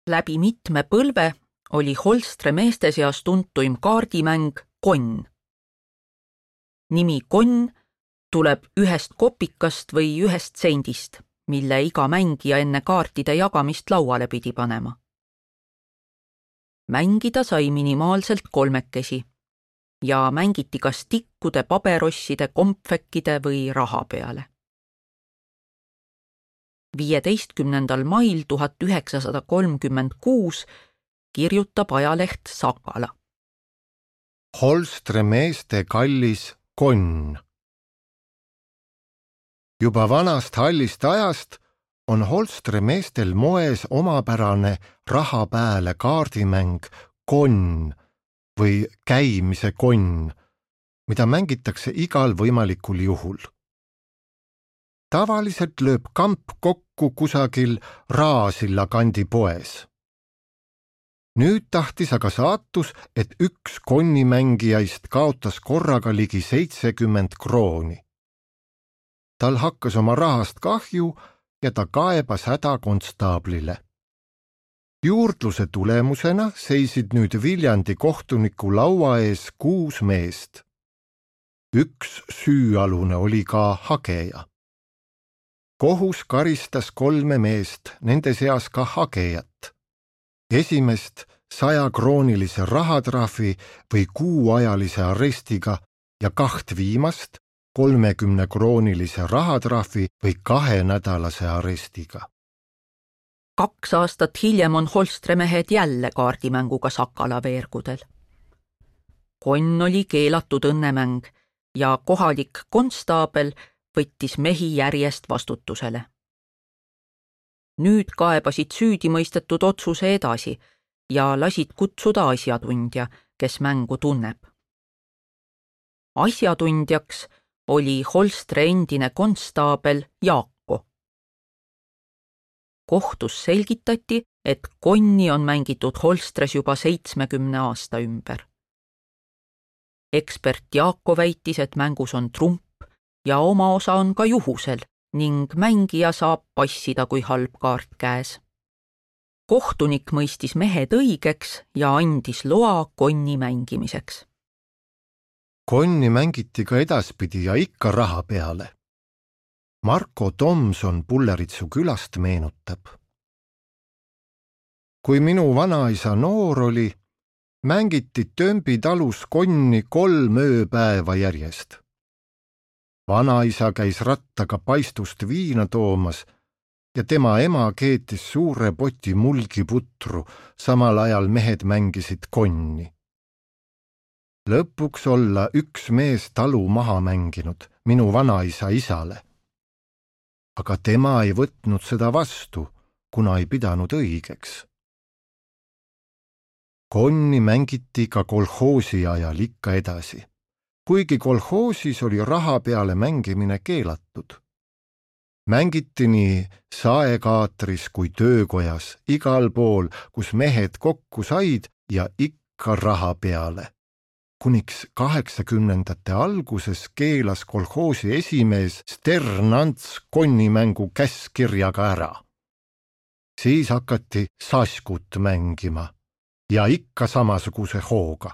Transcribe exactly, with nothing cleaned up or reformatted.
Läbi mitme põlve oli Holstre meeste seas tuntuim kaardimäng konn. Nimi konn tuleb ühest kopikast või ühest sendist, mille iga mängija enne kaartide jagamist lauale pidi panema. Mängida sai minimaalselt kolmekesi ja mängiti kas tikkude, paberosside, kompvekkide või raha peale. viieteistkümnendal mail tuhat üheksasada kolmkümmend kuus kirjutab ajaleht Sakala. Holstre meeste kallis konn. Juba vanast hallist ajast on Holstre meestel moes omapärane raha pääle kaardimäng konn või käimise konn, mida mängitakse igal võimalikul juhul. Tavaliselt lööb kamp kokku kusagil Raasilla kandi poes. Nüüd tahtis aga saatus, et üks konnimängijaist kaotas korraga ligi seitsekümmend krooni. Tal hakkas oma rahast kahju ja ta kaebas häda konstaablile. Juurdluse tulemusena seisid nüüd Viljandi kohtuniku laua ees kuus meest. Üks süüalune oli ka hageja. Kohus karistas kolme meest, nende seas ka hagejat. Esimest sajakroonilise rahatrahvi või kuuajalise arestiga ja kaht viimast kolmekümnekroonilise rahatrahvi või kahenädalase arestiga. Kaks aastat hiljem on Holstre mehed jälle kaardimänguga Sakala veergudel. Konn oli keelatud õnnemäng ja kohalik konstaabel võttis mehi järjest vastutusele. Nüüd kaebasid süüdimõistetud otsuse edasi ja lasid kutsuda asjatundja, kes mängu tunneb. Asjatundjaks oli Holstre endine konstaabel Jaako. Kohtus selgitati, et konni on mängitud Holstres juba seitsmekümne aasta ümber. Ekspert Jaako väitis, et mängus on trump ja oma osa on ka juhusel ning mängija saab passida, kui halb kaart käes. Kohtunik mõistis mehed õigeks ja andis loa konni mängimiseks. Konni mängiti ka edaspidi ja ikka raha peale. Marko Tomson Pulleritsu külast meenutab. Kui minu vanaisa noor oli, mängiti Tömbi talus konni kolm ööpäeva järjest. Vanaisa käis rattaga paistust viina toomas ja tema ema keetis suure poti mulgiputru, samal ajal mehed mängisid konni. Lõpuks olla üks mees talu maha mänginud, minu vanaisa isale. Aga tema ei võtnud seda vastu, kuna ei pidanud õigeks. Konni mängiti ka kolhoosi ajal ikka edasi, kuigi kolhoosis oli raha peale mängimine keelatud. Mängiti nii saekaatris kui töökojas, igal pool, kus mehed kokku said ja ikka raha peale. Kuniks kaheksakümnendate alguses keelas kolhoosi esimees Sternants konnimängu käskkirjaga ära. Siis hakati saskut mängima ja ikka samasuguse hooga.